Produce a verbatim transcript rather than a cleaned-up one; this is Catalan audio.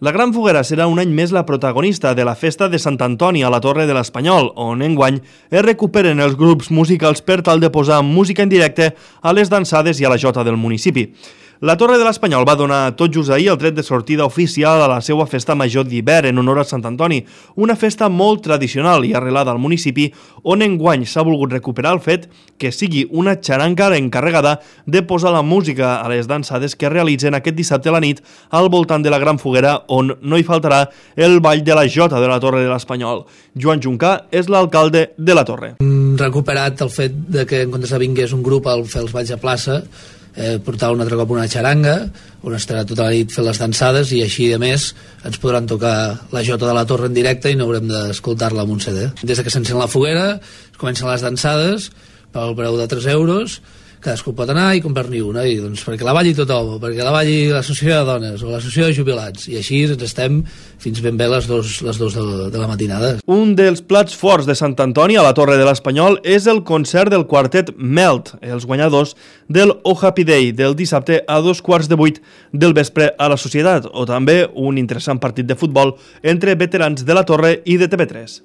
La Gran Foguera serà un any més la protagonista de la festa de Sant Antoni a la Torre de l'Espanyol, on enguany es recuperen els grups musicals per tal de posar música en directe a les dansades i a la jota del municipi. La Torre de l'Espanyol va donar tot just ahir el tret de sortida oficial a la seva festa major d'hivern en honor a Sant Antoni, una festa molt tradicional i arrelada al municipi, on enguany s'ha volgut recuperar el fet que sigui una xaranga encarregada de posar la música a les dansades que realitzen aquest dissabte a la nit al voltant de la Gran Foguera, on no hi faltarà el ball de la jota de la Torre de l'Espanyol. Joan Juncà és l'alcalde de la Torre. Hem recuperat el fet de que en comptes de vingués un grup a fer els balls a plaça, Eh, portar un altre cop una xaranga on estarà tota la nit fent les dansades i així a més ens podran tocar la jota de la Torre en directe i no haurem d'escoltar-la amb un C D. Des que s'encén la foguera comencen les dansades pel preu de tres euros, cadascú pot anar i comprar-ne una, i doncs perquè la balli tothom, perquè la balli l'associació de dones o l'associació de jubilats, i així ens estem fins ben bé les dos, les dos de, de la matinada. Un dels plats forts de Sant Antoni a la Torre de l'Espanyol és el concert del quartet Melt, els guanyadors del Oh Happy Day del dissabte a dos quarts de vuit del vespre a la Societat, o també un interessant partit de futbol entre veterans de la Torre i de T V tres.